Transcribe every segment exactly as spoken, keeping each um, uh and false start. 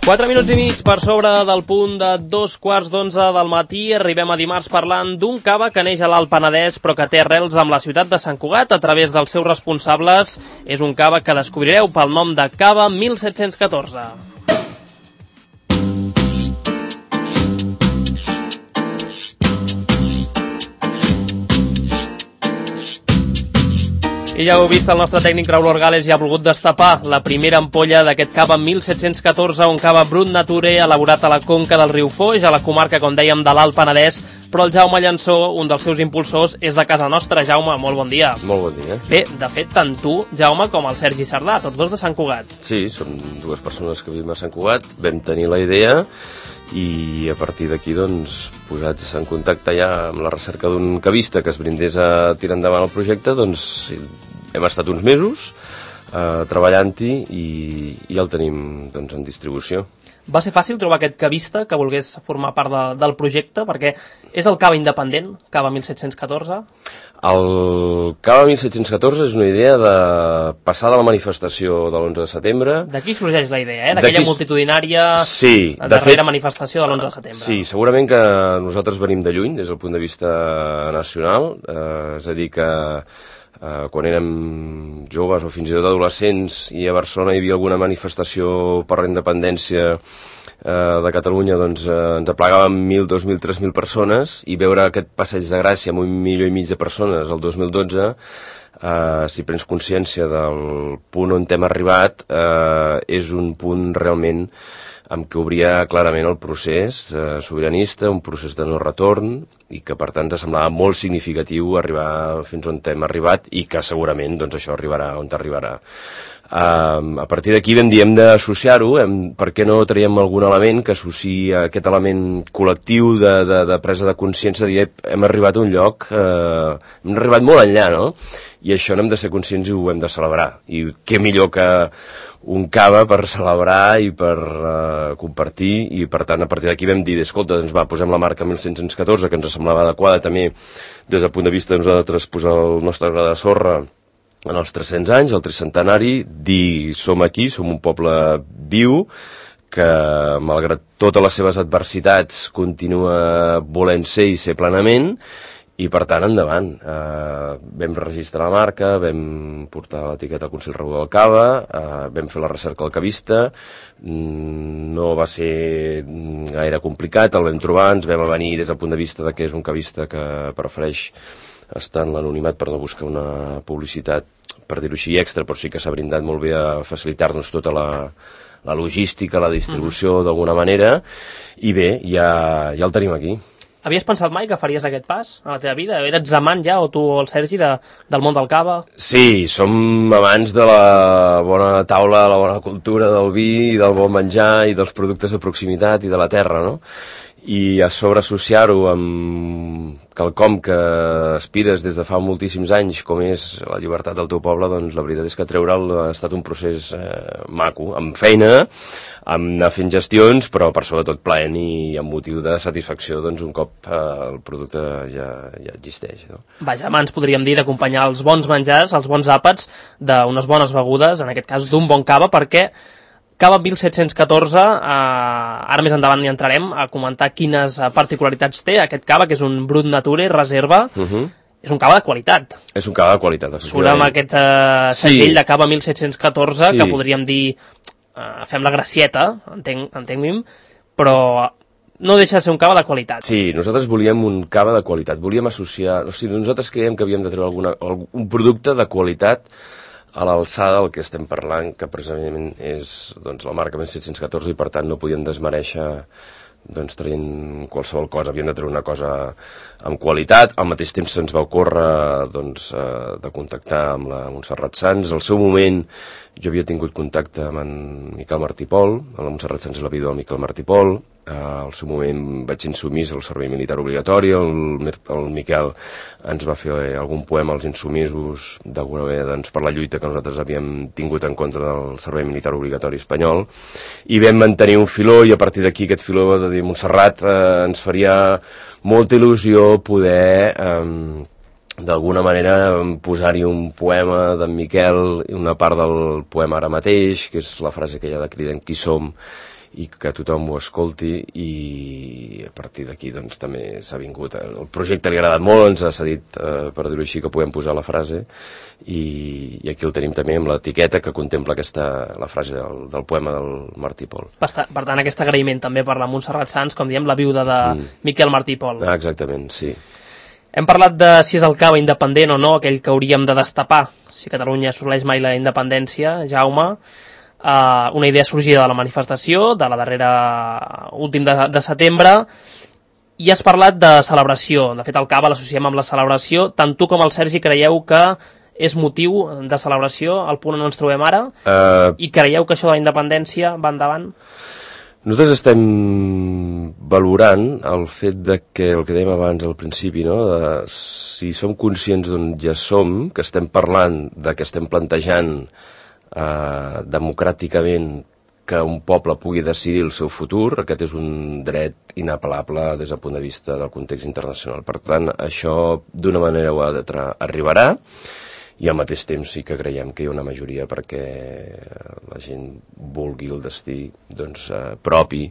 Quatre minuts i mig per sobre del punt de dos quarts d'onze del matí. Arribem a dimarts parlant d'un cava que neix a l'Alt Penedès però que té arrels amb la ciutat de Sant Cugat a través dels seus responsables. És un cava que descobrireu pel nom de Cava mil set-cents catorze. I ja heu vist, el nostre tècnic Raúl Orgales ja ha volgut destapar la primera ampolla d'aquest cava mil set-cents catorze, un cava brut nature elaborat a la conca del riu Foix, a la comarca, com dèiem, de l'Alt Penedès, però el Jaume Llansó, un dels seus impulsors, és de casa nostra. Jaume, molt bon dia. Molt bon dia. Bé, de fet, tant tu, Jaume, com el Sergi Sardà, tots dos de Sant Cugat. Sí, som dues persones que vivim a Sant Cugat, vam tenir la idea i a partir d'aquí, doncs, posats en contacte ja amb la recerca d'un cavista que es brindés a tirar endavant el projecte, doncs hem estat uns mesos eh, treballant-hi i, i el tenim, doncs, en distribució. Va ser fàcil trobar aquest cavista que volgués formar part de, del projecte, perquè és el cava independent, Cava mil set-cents catorze? El Cava mil set-cents catorze és una idea de passar de la manifestació de l'onze de setembre. D'aquí sorgeix la idea, eh? D'aquella multitudinària sí, de darrera fet, manifestació de l'onze de setembre. Sí, segurament que nosaltres venim de lluny des del punt de vista nacional, eh, és a dir que Uh, quan érem joves o fins i tot adolescents i a Barcelona hi havia alguna manifestació per la independència uh, de Catalunya, doncs uh, ens aplegaven mil, dos mil, tres mil persones, i veure aquest passeig de Gràcia amb un milió i mig de persones el dos mil dotze, uh, si prens consciència del punt on hem arribat, uh, és un punt realment amb què obria clarament el procés eh, sobiranista, un procés de no retorn, i que per tant ens semblava molt significatiu arribar fins on hem arribat i que segurament doncs, això arribarà on arribarà. Uh, a partir d'aquí vam dir hem d'associar-ho, per què no traiem algun element que associï aquest element col·lectiu de, de, de presa de consciència, de dir hem arribat a un lloc, uh, hem arribat molt enllà, no? I això n'hem de ser conscients i ho hem de celebrar. I què millor que un cava per celebrar i per uh, compartir, i per tant a partir d'aquí vam dir, escolta, doncs va, posem la marca mil set-cents catorze, que ens semblava adequada també des del punt de vista de nosaltres posar el nostre gra de sorra en els tres-cents anys, el tricentenari, dir som aquí, som un poble viu, que malgrat totes les seves adversitats continua volent ser i ser plenament, i per tant endavant. Uh, vam registrar la marca, vam portar l'etiqueta al Consell Regulador del Cava, uh, vam fer la recerca al cavista, mm, no va ser gaire complicat, el vam trobar, ens vam avenir des del punt de vista de que és un cavista que prefereix estar en l'anonimat per no buscar una publicitat, per dir-ho així, extra, però sí que s'ha brindat molt bé a facilitar-nos tota la, la logística, la distribució, mm. d'alguna manera, i bé, ja, ja el tenim aquí. Havies pensat mai que faries aquest pas a la teva vida? Eres amant ja, o tu o el Sergi, de, del món del cava? Sí, som amants de la bona taula, la bona cultura del vi, i del bon menjar, i dels productes de proximitat i de la terra, no? I a sobre associar-ho amb quelcom que aspires des de fa moltíssims anys, com és la llibertat del teu poble, doncs la veritat és que treure'l ha estat un procés eh, maco, amb feina, amb anar fent gestions, però per sobretot plaent i amb motiu de satisfacció, doncs un cop eh, el producte ja, ja existeix, no? Vaja, abans podríem dir d'acompanyar els bons menjars, els bons àpats, d'unes bones begudes, en aquest cas d'un bon cava, perquè Cava mil set-cents catorze, eh, ara més endavant hi entrarem a comentar quines particularitats té aquest cava, que és un brut nature, reserva, uh -huh. És un cava de qualitat. És un cava de qualitat, efectivament. Surt amb aquest eh, segell sí. de Cava mil set-cents catorze, sí. que podríem dir, eh, fem la gracieta, entenc, entengui'm, però no deixa de ser un cava de qualitat. Sí, nosaltres volíem un cava de qualitat, volíem associar, o sigui, nosaltres creiem que havíem de treure alguna, un producte de qualitat a l'alçada del que estem parlant, que precisament és doncs, la marca mil set-cents catorze, i per tant no podíem desmereixer doncs, traient qualsevol cosa, havíem de treure una cosa amb qualitat. Al mateix temps se'ns va ocórrer doncs, eh, de contactar amb la Montserrat Sans. Al seu moment jo havia tingut contacte amb en Miquel Martí Pol, la Montserrat Sans és la vídua del Miquel Martí Pol. Uh, al seu moment vaig insumís al servei militar obligatori, el, el Miquel ens va fer algun poema als insumisos d'alguna manera doncs, per la lluita que nosaltres havíem tingut en contra del servei militar obligatori espanyol, i vam mantenir un filó, i a partir d'aquí aquest filó de dir Montserrat eh, ens faria molta il·lusió poder eh, d'alguna manera posar-hi un poema d'en Miquel, una part del poema ara mateix, que és la frase aquella de Cridem qui som, i que tothom ho escolti, i a partir d'aquí doncs també s'ha vingut. El projecte li ha agradat molt, ens ha cedit, eh, per dir-ho així, que podem posar la frase, i, i aquí el tenim també amb l'etiqueta que contempla aquesta, la frase del, del poema del Martí Pol. Per tant, aquest agraïment també per la Montserrat Sans, com diem, la viuda de mm. Miquel Martí Pol. Ah, exactament, sí. Hem parlat de si és el cava independent o no, aquell que hauríem de destapar si Catalunya assoleix mai la independència, Jaume. Uh, una idea sorgida de la manifestació, de la darrera últim de, de setembre, i has parlat de celebració. De fet, el cava l'associem amb la celebració. Tant tu com el Sergi creieu que és motiu de celebració al punt on ens trobem ara? Uh... I creieu que això de la independència va endavant? Nosaltres estem valorant el fet de que, el que dèiem abans al principi, no? De, si som conscients d'on ja som, que estem parlant, de que estem plantejant eh, democràticament que un poble pugui decidir el seu futur, aquest és un dret inapel·lable des del punt de vista del context internacional. Per tant, això d'una manera o altra arribarà, i al mateix temps sí que creiem que hi ha una majoria perquè la gent vulgui el destí doncs, eh, propi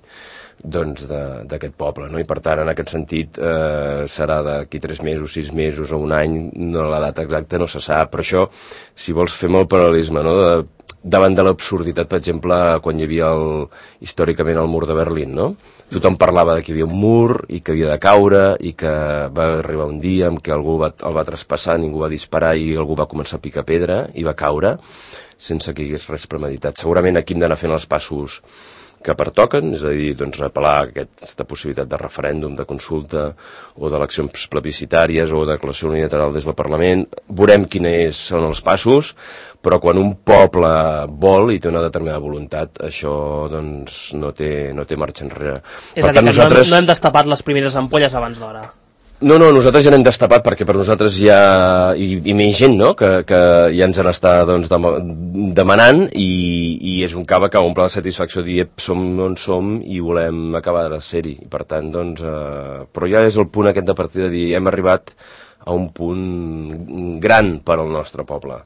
doncs, d'aquest poble, no? I per tant, en aquest sentit, eh, serà d'aquí tres mesos, sis mesos o un any, no, la data exacta no se sap, però això, si vols, fem el paral·lelisme, no? De, davant de l'absurditat, per exemple, quan hi havia el, històricament el mur de Berlín, no? Tothom parlava de que hi havia un mur i que havia de caure i que va arribar un dia en què algú va, el va traspassar, ningú va disparar i algú va començar a picar pedra i va caure sense que hi hagués res premeditat. Segurament aquí hem d'anar fent els passos que pertoquen, és a dir, doncs, apel·lar a aquesta possibilitat de referèndum, de consulta o d'eleccions plebiscitàries o de declaració unilateral des del Parlament. Veurem quins són els passos, però quan un poble vol i té una determinada voluntat, això doncs, no té, no té marxa enrere. És per a dir, tant, que nosaltres... no, hem, no hem destapat les primeres ampolles abans d'hora. No, no, nosaltres ja n'hem destapat perquè per nosaltres hi ha, i, i més gent, no?, que, que ja ens en està doncs, demanant i, i és un cava que omple la satisfacció de dir som on som i volem acabar de ser-hi. I per tant, doncs, eh, però ja és el punt aquest de partida de dir hem arribat a un punt gran per al nostre poble.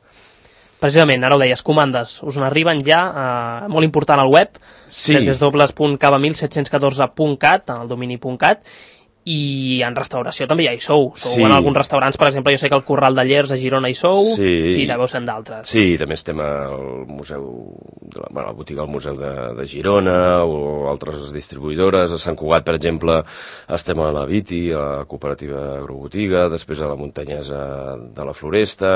Precisament, ara ho deies, comandes, us n'arriben ja, eh, molt important al web, sí. w w w punt cava mil set cents catorze punt cat, en el domini punt cat, i en restauració també ja hi sou. Sou sí. En alguns restaurants, per exemple, jo sé que el Corral de Llers a Girona hi sou, sí. I deveu ser d'altres. Sí, també estem al museu, de la, bueno, a la botiga del Museu de, de Girona o altres distribuïdores. A Sant Cugat, per exemple, estem a la Viti, a la cooperativa agrobotiga, després a la Muntanyesa de la Floresta,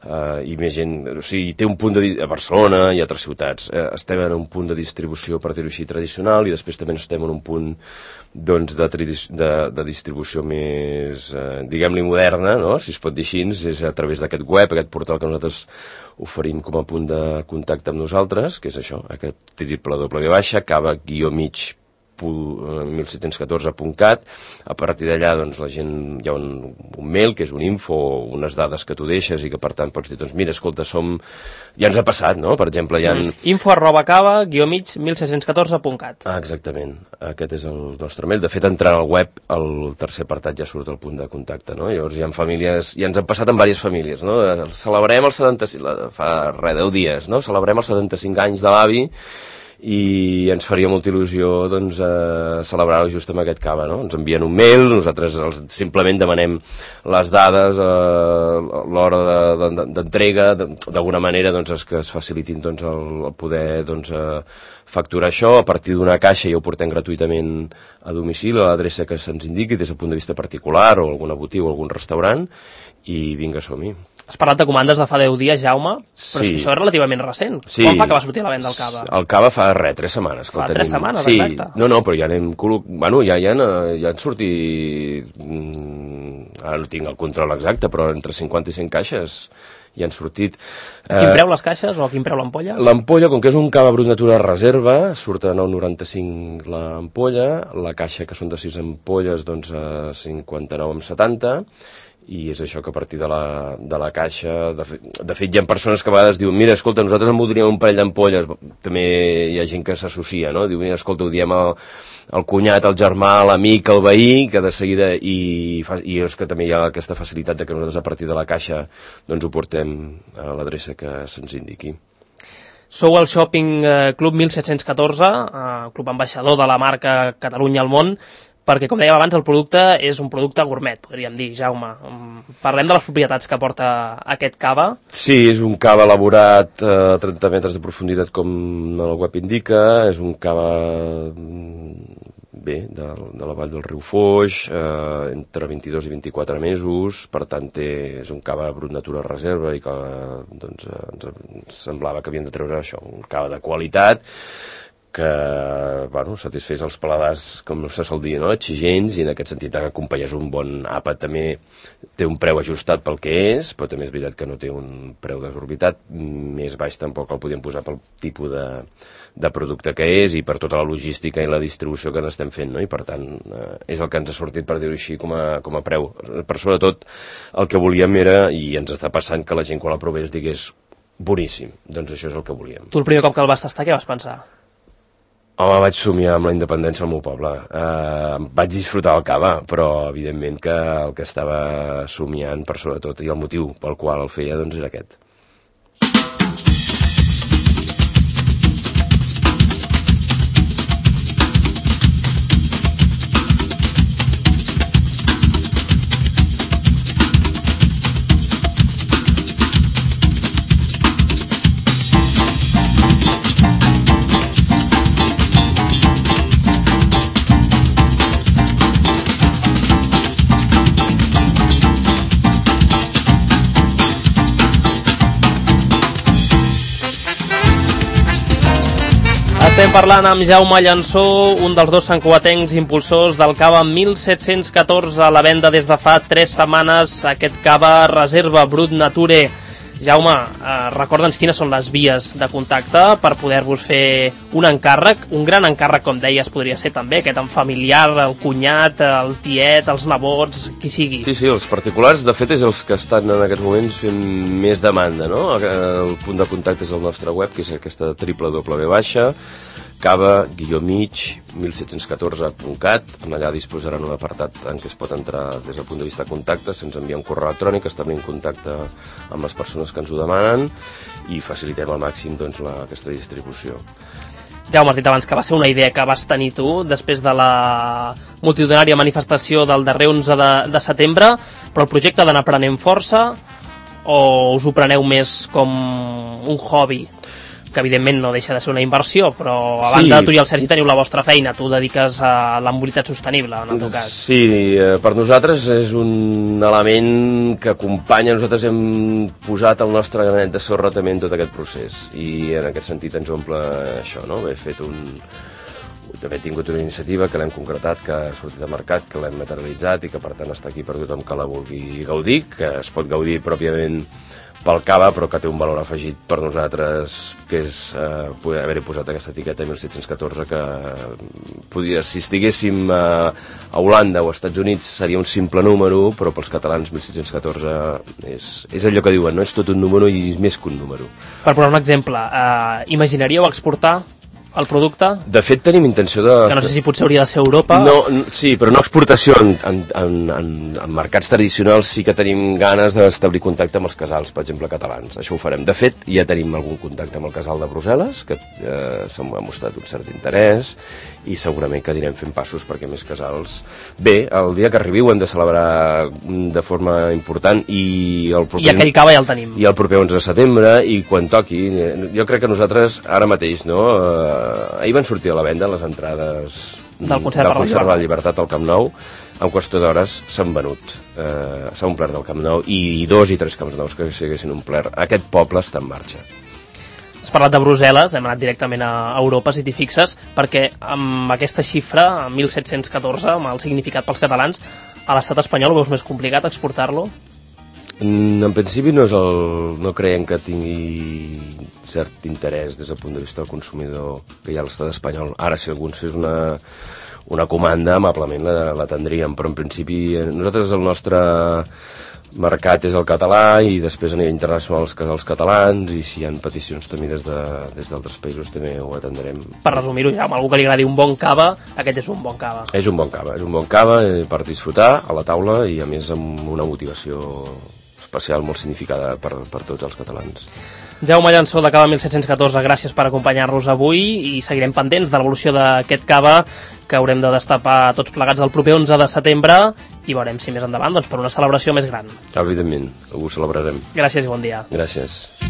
eh, i més gent, o sigui, té un punt de... a Barcelona i altres ciutats. Eh, estem en un punt de distribució, per dir-ho així, tradicional, i després també estem en un punt doncs, de, de, de distribució més, eh, diguem-li, moderna, no?, si es pot dir així, és a través d'aquest web, aquest portal que nosaltres oferim com a punt de contacte amb nosaltres, que és això, aquest triple doble baixa, cava guió mig mil set cents catorze punt cat. A partir d'allà, doncs, la gent, hi ha un, un mail, que és un info, unes dades que tu deixes i que, per tant, pots dir, doncs, mira, escolta, som... Ja ens ha passat, no?, per exemple, hi ha... Info arroba cava guió mig mil set cents catorze punt cat. Ah, exactament. Aquest és el nostre mail. De fet, entrant al web, el tercer apartat ja surt el punt de contacte, no? Llavors hi ha famílies... Ja ens han passat en diverses famílies, no? Celebrem el setanta-cinc... Fa res, deu dies, no? Celebrem els setanta-cinc anys de l'avi i ens faria molta il·lusió doncs, eh, celebrar-ho just amb aquest cava, no? Ens envien un mail, nosaltres els, simplement demanem les dades, eh, l'hora d'entrega, de, de, d'alguna manera doncs, que es facilitin doncs, el, el poder doncs, eh, facturar això. A partir d'una caixa ja ho portem gratuïtament a domicili, a l'adreça que se'ns indiqui des del punt de vista particular o alguna botiga o algun restaurant, i vinga, som-hi. Has parlat de comandes de fa deu dies, Jaume, però sí. És que això és relativament recent. Sí. Quan fa que va sortir a la venda el cava? El cava fa res, tres setmanes. Fa tres setmanes, sí. Exacte. No, no, però ja anem... Bueno, ja, ja, ja han sortit... Ara no tinc el control exacte, però entre cinquanta i cent caixes ja han sortit. A quin preu les caixes o a quin preu l'ampolla? L'ampolla, com que és un cava brut natura reserva, surt a nou coma noranta-cinc l'ampolla, la caixa, que són de sis ampolles, doncs a cinquanta-nou coma setanta, i és això que a partir de la, de la caixa, de fet, de fet hi ha persones que a vegades diuen, mira, escolta, nosaltres en voldríem un parell d'ampolles, també hi ha gent que s'associa, no? Diu, mira, escolta, ho diem al, al cunyat, al germà, a l'amic, al veí, que de seguida, i, i és que també hi ha aquesta facilitat de que nosaltres a partir de la caixa doncs ho portem a l'adreça que se'ns indiqui. Sou el Shopping Club mil set-cents catorze, eh, club ambaixador de la marca Catalunya al món, perquè, com dèiem abans, el producte és un producte gourmet, podríem dir. Jaume, parlem de les propietats que porta aquest cava. Sí, és un cava elaborat a trenta metres de profunditat, com el web indica, és un cava bé, de, de la vall del riu Foix, eh, entre vint-i-dos i vint-i-quatre mesos, per tant té, és un cava brut natura reserva i que doncs, ens semblava que havíem de treure això, un cava de qualitat que bueno, satisfés els paladars, com se sol dir, no? Exigents, i en aquest sentit acompanyes un bon àpat. També té un preu ajustat pel que és, però també és veritat que no té un preu desorbitat, més baix tampoc el podíem posar pel tipus de, de producte que és i per tota la logística i la distribució que n'estem fent, no? I per tant eh, és el que ens ha sortit, per dir-ho així, com a, com a preu. Per sobretot el que volíem era, i ens està passant, que la gent quan la provés digués boníssim, doncs això és el que volíem. Tu el primer cop que el vas tastar, què vas pensar? Home, vaig somiar amb la independència al meu poble. Eh, vaig disfrutar el cava, però evidentment que el que estava somiant per sobretot, i el motiu pel qual el feia, doncs era aquest. Estem parlant amb Jaume Llansó, un dels dos santcugatencs impulsors del cava mil set-cents catorze, a la venda des de fa tres setmanes, aquest cava Reserva Brut Nature. Jaume, eh, recorda'ns quines són les vies de contacte per poder-vos fer un encàrrec, un gran encàrrec, com deies, podria ser també aquest en familiar, el cunyat, el tiet, els nebots, qui sigui. Sí, sí, els particulars, de fet, és els que estan en aquests moments fent més demanda, no? El punt de contacte és el nostre web, que és aquesta w w w baixa cava guió mig mil set-cents catorze punt cat. Allà disposaran un apartat en què es pot entrar des del punt de vista de contacte, se'ns envia un correu electrònic, establim contacte amb les persones que ens ho demanen i facilitem al màxim doncs, la, aquesta distribució. Jaume, has dit abans que va ser una idea que vas tenir tu després de la multitudinària manifestació del darrer onze de, de setembre, però el projecte ha d'anar prenent força o us ho preneu més com un hobby? Que evidentment no deixa de ser una inversió, però a banda sí. Tu i el Sergi teniu la vostra feina, tu dediques a la mobilitat sostenible, en el teu cas. Sí, per nosaltres és un element que acompanya, nosaltres hem posat el nostre granet de sorra també en tot aquest procés, i en aquest sentit ens omple això, no? He fet un... També he tingut una iniciativa que l'hem concretat, que ha sortit al mercat, que l'hem materialitzat i que per tant està aquí per tothom que la vulgui gaudir, que es pot gaudir pròpiament pel cava, però que té un valor afegit per nosaltres, que és eh, poder haver-hi posat aquesta etiqueta mil set-cents catorze, que podia, si estiguéssim a, a Holanda o als Estats Units seria un simple número, però pels catalans mil set-cents catorze és, és allò que diuen, no? És tot un número i és més que un número. Per posar un exemple, eh, imaginaríeu exportar el producte? De fet, tenim intenció de... Que no sé si potser hauria de ser Europa. No, sí, però no exportació. En, en, en, en, en mercats tradicionals sí que tenim ganes d'establir contacte amb els casals, per exemple, catalans. Això ho farem. De fet, ja tenim algun contacte amb el casal de Brussel·les, que eh, s'ha mostrat un cert interès, i segurament que anirem fent passos perquè més casals... Bé, el dia que arribi ho hem de celebrar de forma important i el proper... I aquell cava ja el tenim. I el proper onze de setembre, i quan toqui... Jo crec que nosaltres, ara mateix, no... Eh, ahir van sortir a la venda les entrades del concert, del concert de la Llibertat al Camp Nou. En qüestió d'hores s'han venut. Eh, s'ha omplert del Camp Nou i dos i tres Camps Nous que s'haguessin omplert. Aquest poble està en marxa. Has parlat de Brussel·les, hem anat directament a Europa, si t'hi fixes, perquè amb aquesta xifra, mil set-cents catorze, amb el significat pels catalans, a l'estat espanyol ho veus més complicat exportar-lo? En principi no és el... no creiem que tingui cert interès des del punt de vista del consumidor que hi ha a l'estat espanyol. Ara, si algú ens fes una, una comanda, amablement l'atendríem, però en principi nosaltres el nostre mercat és el català i després a nivell internacional els casals catalans, i si hi ha peticions també des de, des d'altres països també ho atendrem. Per resumir-ho, ja, amb algú que li agradi un bon cava, aquest és un bon cava. És un bon cava, és un bon cava per disfrutar a la taula i a més amb una motivació especial, molt significada per, per tots els catalans. Jaume Llansó, de Cava mil set-cents catorze, gràcies per acompanyar-nos avui i seguirem pendents de l'evolució d'aquest cava que haurem de destapar tots plegats el proper onze de setembre i veurem si més endavant doncs, per una celebració més gran. Evidentment, ho celebrarem. Gràcies i bon dia. Gràcies.